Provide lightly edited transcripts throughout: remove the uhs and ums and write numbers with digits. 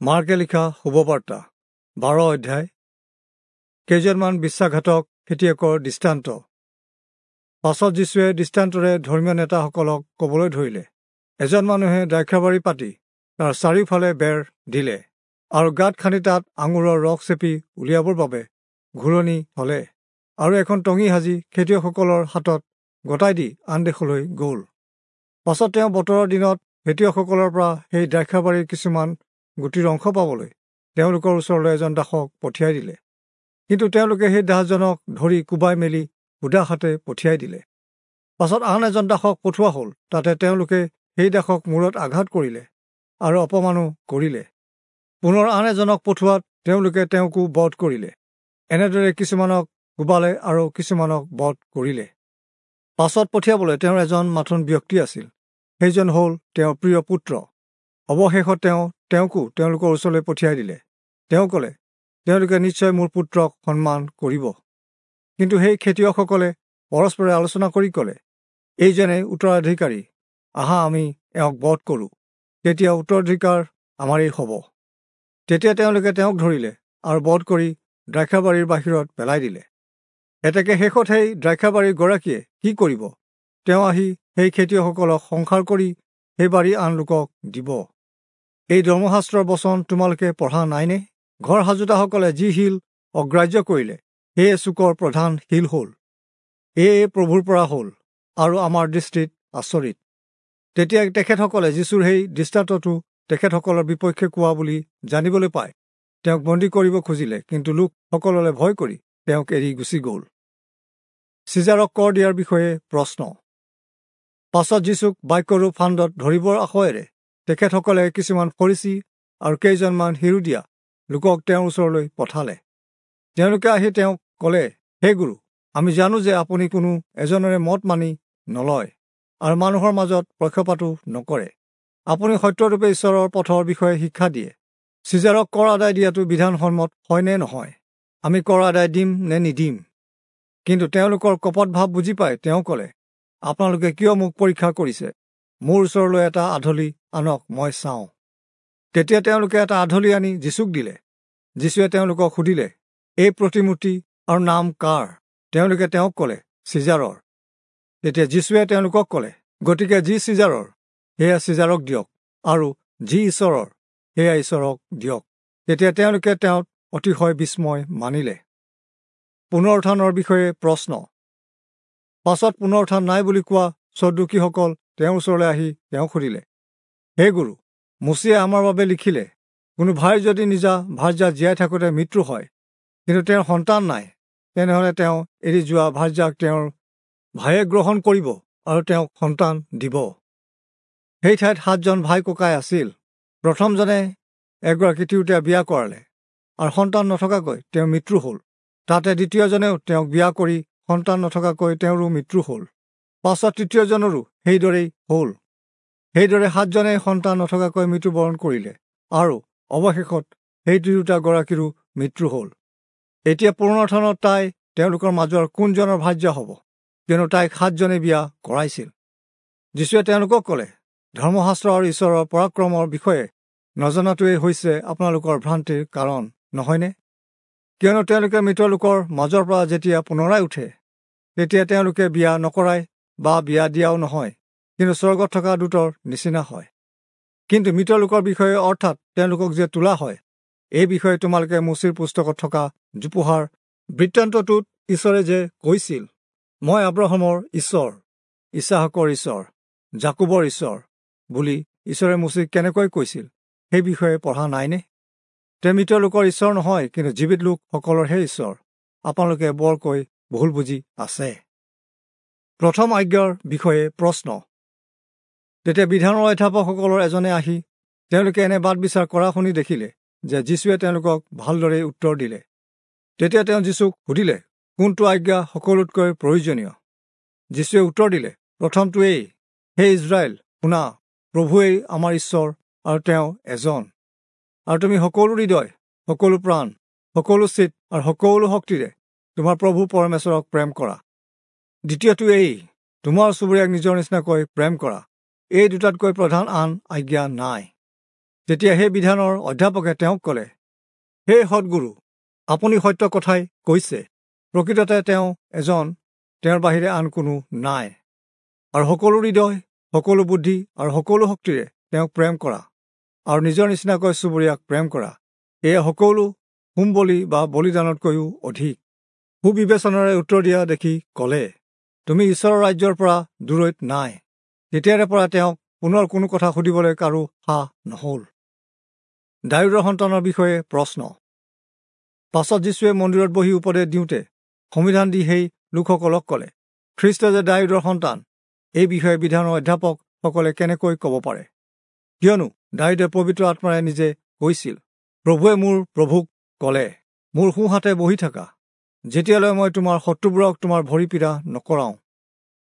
মাৰ্কে লিখা শুভবাৰ্তা 12 অধ্যায়। কেইজনমান বিশ্বাসঘাতক খেতিয়কৰ দৃষ্টান্ত। পাছত যীশুৱে দৃষ্টান্তৰে ধৰ্মীয় নেতাসকলক ক'বলৈ ধৰিলে, এজন মানুহে দ্ৰাক্ষাবাৰী পাতি তাৰ চাৰিওফালে বেৰ দিলে আৰু গাঁত খান্দি তাত আঙুৰৰ ৰস চেপি উলিয়াবৰ বাবে ঘূৰণি থলে আৰু এখন টঙি সাজি খেতিয়কসকলৰ হাতত গতাই দি আন দেশলৈ গ'ল। পাছত তেওঁ বতৰৰ দিনত খেতিয়কসকলৰ পৰা সেই দ্ৰাক্ষাবাৰীৰ কিছুমান গুটিৰ অংশ পাবলৈ তেওঁলোকৰ ওচৰলৈ এজন দাসক পঠিয়াই দিলে। কিন্তু তেওঁলোকে সেই দাসজনক ধৰি কোবাই মেলি সুদা হাতে পঠিয়াই দিলে। পাছত আন এজন দাসক পঠোৱা হ'ল, তাতে তেওঁলোকে সেই দাসক মূৰত আঘাত কৰিলে আৰু অপমানো কৰিলে। পুনৰ আন এজনক পঠোৱাত তেওঁলোকে তেওঁকো বধ কৰিলে। এনেদৰে কিছুমানক কোবালে আৰু কিছুমানক বধ কৰিলে। পাছত পঠিয়াবলৈ তেওঁৰ এজন মাথোন ব্যক্তি আছিল, সেইজন হ'ল তেওঁৰ প্ৰিয় পুত্ৰ। অৱশেষত তেওঁ তেওঁকো তেওঁলোকৰ ওচৰলৈ পঠিয়াই দিলে। তেওঁ ক'লে, তেওঁলোকে নিশ্চয় মোৰ পুত্ৰক সন্মান কৰিব। কিন্তু সেই খেতিয়কসকলে পৰস্পৰে আলোচনা কৰি ক'লে, এইজনে উত্তৰাধিকাৰী, আহা আমি এওঁক বধ কৰোঁ, তেতিয়া উত্তৰাধিকাৰ আমাৰেই হ'ব। তেতিয়া তেওঁলোকে তেওঁক ধৰিলে আৰু বধ কৰি দ্ৰাক্ষাবাৰীৰ বাহিৰত পেলাই দিলে। এতেকে শেষত সেই দ্ৰাক্ষাবাৰীৰ গৰাকীয়ে কি কৰিব? তেওঁ আহি সেই খেতিয়কসকলক সংসাৰ কৰি সেই বাৰী আন লোকক দিব। এই ধৰ্মশাস্ত্ৰৰ বচন তোমালোকে পঢ়া নাইনে? ঘৰ সাজোতাসকলে যি শিল অগ্ৰাহ্য কৰিলে, সেয়ে চুকৰ প্ৰধান শিল হ'ল। এয়ে প্ৰভুৰ পৰা হ'ল আৰু আমাৰ দৃষ্টিত আচৰিত। তেতিয়া তেখেতসকলে যীশুৰ সেই দৃষ্টান্তটো তেখেতসকলৰ বিপক্ষে কোৱা বুলি জানিবলৈ পাই তেওঁক বন্দী কৰিব খুজিলে, কিন্তু লোকসকললৈ ভয় কৰি তেওঁক এৰি গুচি গ'ল। চিজাৰক কৰ দিয়াৰ বিষয়ে প্ৰশ্ন। পাছত যীশুক বাক্যৰূপ ফান্দত ধৰিবৰ আশয়েৰে তেখেতসকলে কিছুমান ফৰীচী আৰু কেইজনমান হিৰোদীয়া লোকক তেওঁৰ ওচৰলৈ পঠালে। তেওঁলোকে আহি তেওঁক ক'লে, হে গুৰু, আমি জানো যে আপুনি কোনো এজনৰে মত মানি নলয় আৰু মানুহৰ মাজত পক্ষপাতো নকৰে। আপুনি সত্যৰূপে ঈশ্বৰৰ পথৰ বিষয়ে শিক্ষা দিয়ে। চিজাৰক কৰ আদায় দিয়াটো বিধানসন্মত হয় নে নহয়? আমি কৰ আদায় দিম নে নিদিম? কিন্তু তেওঁলোকৰ কপট ভাৱ বুজি পাই তেওঁ ক'লে, আপোনালোকে কিয় মোক পৰীক্ষা কৰিছে? মোৰ ওচৰলৈ এটা আধলি আনক, মই চাওঁ। তেতিয়া তেওঁলোকে এটা আধলি আনি যীশুক দিলে। যীশুৱে তেওঁলোকক সুধিলে, এই প্ৰতিমূৰ্তি আৰু নাম কাৰ? তেওঁলোকে তেওঁক ক'লে, চিজাৰৰ। তেতিয়া যীশুৱে তেওঁলোকক ক'লে, গতিকে যি চিজাৰৰ সেয়া চিজাৰক দিয়ক, আৰু যি ঈশ্বৰৰ সেয়া ঈশ্বৰক দিয়ক। তেতিয়া তেওঁলোকে তেওঁত অতিশয় বিস্ময় মানিলে। পুনৰুত্থানৰ বিষয়ে প্ৰশ্ন। পাছত পুনৰুত্থান নাই বুলি কোৱা চদ্দুকীসকল তেওঁৰ ওচৰলৈ আহি তেওঁক সুধিলে, হে গুৰু, মোচিয়ে আমাৰ বাবে লিখিলে, কোনো ভাইৰ যদি নিজা ভাৰ্যা জীয়াই থাকোঁতে মৃত্যু হয়, কিন্তু তেওঁৰ সন্তান নাই, তেনেহ'লে তেওঁ এৰি যোৱা ভাৰ্যাক তেওঁৰ ভায়ে গ্ৰহণ কৰিব আৰু তেওঁক সন্তান দিব। সেই ঠাইত 7জন ভাই ককাই আছিল। প্ৰথমজনে এগৰাকী তিৰোতা বিয়া কৰালে আৰু সন্তান নথকাকৈ তেওঁৰ মৃত্যু হ'ল। তাতে দ্বিতীয়জনেও তেওঁক বিয়া কৰি সন্তান নথকাকৈ তেওঁৰো মৃত্যু হ'ল। পাছত তৃতীয়জনৰো সেইদৰেই হ'ল। সেইদৰে 7জনে সন্তান নথকাকৈ মৃত্যুবৰণ কৰিলে আৰু অৱশেষত সেই তিৰোতাগৰাকীৰো মৃত্যু হ'ল। এতিয়া পুনৰুত্থানত তাই তেওঁলোকৰ মাজৰ কোনজনৰ ভাৰ্যা হ'ব? কিয়নো তাইক 7জনে বিয়া কৰাইছিল। যীশুৱে তেওঁলোকক ক'লে, ধৰ্মশাস্ত্ৰ আৰু ঈশ্বৰৰ পৰাক্ৰমৰ বিষয়ে নজনাটোৱেই হৈছে আপোনালোকৰ ভ্ৰান্তিৰ কাৰণ নহয়নে? কিয়নো তেওঁলোকে মৃত লোকৰ মাজৰ পৰা যেতিয়া পুনৰাই উঠে, তেতিয়া তেওঁলোকে বিয়া নকৰাই বা বিয়া দিয়াও নহয়, কিন্তু স্বৰ্গত থকা দূতৰ নিচিনা হয়। কিন্তু মৃত লোকৰ বিষয়ে, অৰ্থাৎ তেওঁলোকক যে তোলা হয়, এই বিষয়ে তোমালোকে মোচিৰ পুস্তকত থকা জোপোহাৰ বৃত্তান্তটোত ঈশ্বৰে যে কৈছিল, মই আব্ৰাহামৰ ঈশ্বৰ, ইছহাকৰ ঈশ্বৰ, যাকোবৰ ঈশ্বৰ বুলি ঈশ্বৰে মোচিক কেনেকৈ কৈছিল, সেই বিষয়ে পঢ়া নাইনে? তেওঁ মৃত লোকৰ ঈশ্বৰ নহয়, কিন্তু জীৱিত লোকসকলৰহে ঈশ্বৰ। আপোনালোকে বৰকৈ ভুল বুজি আছে। প্ৰথম আজ্ঞাৰ বিষয়ে প্ৰশ্ন। তেতিয়া বিধানৰ অধ্যাপকসকলৰ এজনে আহি তেওঁলোকে এনে বাদ বিচাৰ কৰা শুনি দেখিলে যে যীশুৱে তেওঁলোকক ভালদৰে উত্তৰ দিলে। তেতিয়া তেওঁ যীশুক সুধিলে, কোনটো আজ্ঞা সকলোতকৈ প্ৰয়োজনীয়? যীশুৱে উত্তৰ দিলে, প্ৰথমটোৱেই, হে ইজৰাইল শুনা, প্ৰভুৱেই আমাৰ ঈশ্বৰ আৰু তেওঁ এজন। আৰু তুমি সকলো হৃদয়, সকলো প্ৰাণ, সকলো চিত আৰু সকলো শক্তিৰে তোমাৰ প্ৰভু পৰমেশ্বৰক প্ৰেম কৰা। দ্বিতীয়টো এই, তোমাৰ চুবুৰীয়াক নিজৰ নিচিনাকৈ প্ৰেম কৰা। এই দুটাতকৈ প্ৰধান আন আজ্ঞা নাই। তেতিয়া সেই বিধানৰ অধ্যাপকে তেওঁক ক'লে, হে সদ্গুৰু, আপুনি সত্য কথাই কৈছে। প্ৰকৃততে তেওঁ এজন, তেওঁৰ বাহিৰে আন কোনো নাই। আৰু সকলো হৃদয়, সকলো বুদ্ধি আৰু সকলো শক্তিৰে তেওঁক প্ৰেম কৰা আৰু নিজৰ নিচিনাকৈ চুবুৰীয়াক প্ৰেম কৰা, এয়া সকলো হোম বলি বা বলিদানতকৈও অধিক। সুবিবেচনাৰে উত্তৰ দিয়া দেখি ক'লে, তুমি ঈশ্বৰৰ ৰাজ্যৰ পৰা দূৰৈত নাই। তেতিয়াৰে পৰা তেওঁক পুনৰ কোনো কথা সুধিবলৈ কাৰো সাহ নহ'ল। দায়ূদৰ সন্তানৰ বিষয়ে প্ৰশ্ন। পাছত যীশুৱে মন্দিৰত বহি উপদেশ দিওঁতে সমিধান দি সেই লোকসকলক ক'লে, খ্ৰীষ্ট যে দায়ূদৰ সন্তান, এই বিষয়ে বিধানৰ অধ্যাপকসকলে কেনেকৈ ক'ব পাৰে? কিয়নো দায়ূদে পবিত্ৰ আত্মাৰে নিজে কৈছিল, প্ৰভুৱে মোৰ প্ৰভুক ক'লে, মোৰ সোঁহাতে বহি থাকা, যেতিয়ালৈ মই তোমাৰ শত্ৰুবোৰক তোমাৰ ভৰি পীড়া নকৰাওঁ।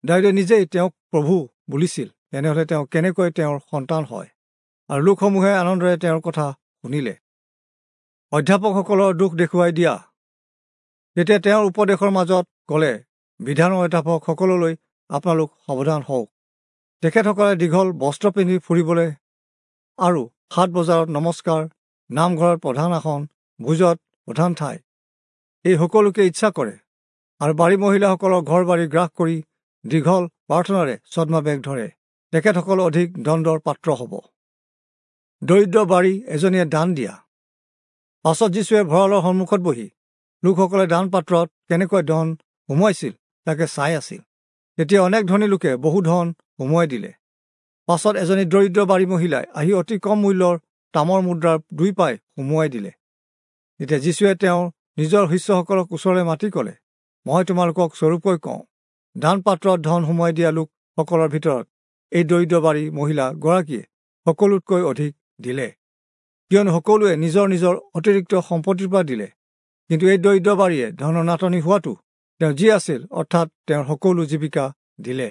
দায়ূদে নিজেই তেওঁক প্ৰভু বুলিছিল, তেনেহ'লে তেওঁ কেনেকৈ তেওঁৰ সন্তান হয়? আৰু লোকসমূহে আনন্দৰে তেওঁৰ কথা শুনিলে। অধ্যাপকসকলৰ দুখ দেখুৱাই দিয়া। তেতিয়া তেওঁৰ উপদেশৰ মাজত ক'লে, বিধানৰ অধ্যাপকসকললৈ আপোনালোক সাৱধান হওক। তেখেতসকলে দীঘল বস্ত্ৰ পিন্ধি ফুৰিবলৈ আৰু হাট বজাৰত নমস্কাৰ, নামঘৰত প্ৰধান আসন, ভোজত প্ৰধান ঠাই, এই সকলোকে ইচ্ছা কৰে আৰু বাৰী মহিলাসকলৰ ঘৰ বাৰী গ্ৰাস কৰি দীঘল প্ৰাৰ্থনাৰে ছদ্মবেশ ধৰে। তেখেতসকল অধিক দণ্ডৰ পাত্ৰ হ'ব। দৰিদ্ৰ বাৰী এজনীয়ে দান দিয়া। পাছত যীশুৱে ভঁৰালৰ সন্মুখত বহি লোকসকলে দান পাত্ৰত কেনেকৈ ধন সুমুৱাইছিল তাকে চাই আছিল। তেতিয়া অনেক ধনী লোকে বহু ধন সুমুৱাই দিলে। পাছত এজনী দৰিদ্ৰ বাৰী মহিলাই আহি অতি কম মূল্যৰ তামৰ মুদ্ৰাৰ 2 পাই সুমুৱাই দিলে। তেতিয়া যীশুৱে তেওঁৰ নিজৰ শিষ্যসকলক ওচৰলৈ মাতি ক'লে, মই তোমালোকক স্বৰূপকৈ কওঁ, দান পাত্ৰত ধন সুমুৱাই দিয়া লোকসকলৰ ভিতৰত এই দৰিদ্ৰ বাৰী মহিলা গৰাকীয়ে সকলোতকৈ অধিক দিলে। কিয়নো সকলোৱে নিজৰ নিজৰ অতিৰিক্ত সম্পত্তিৰ পৰা দিলে, কিন্তু এই দৰিদ্ৰ বাৰীয়ে ধনৰ নাটনি হোৱাটো তেওঁ যি আছিল, অৰ্থাৎ তেওঁৰ সকলো জীৱিকা দিলে।